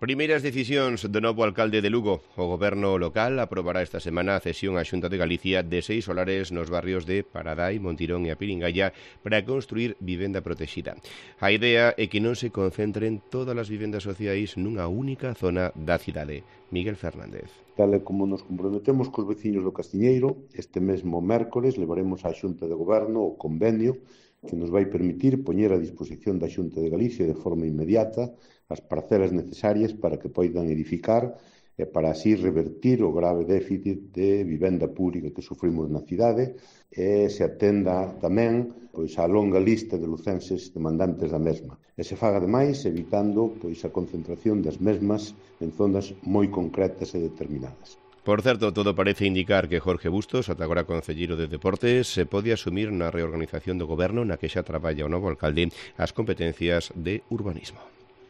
Primeiras decisións do novo alcalde de Lugo. O goberno local aprobará esta semana a cesión á Xunta de Galicia de 6 solares nos barrios de Paradai, Montirón e a Piringalla para construir vivenda protexida. A idea é que non se concentren todas as vivendas sociais nunha única zona da cidade. Miguel Fernández. Tal e como nos comprometemos cos veciños do Castiñeiro, este mesmo mércores levaremos á Xunta de Goberno o convenio que nos vai permitir poñer a disposición da Xunta de Galicia de forma inmediata as parcelas necesarias para que poidan edificar e para así revertir o grave déficit de vivenda pública que sufrimos na cidade e se atenda tamén a longa lista de lucenses demandantes da mesma. E se faga ademais evitando a concentración das mesmas en zonas moi concretas e determinadas. Por certo, todo parece indicar que Jorge Bustos, ata agora concelleiro de Deportes, se pode asumir na reorganización do goberno na que xa traballa o novo alcalde as competencias de urbanismo.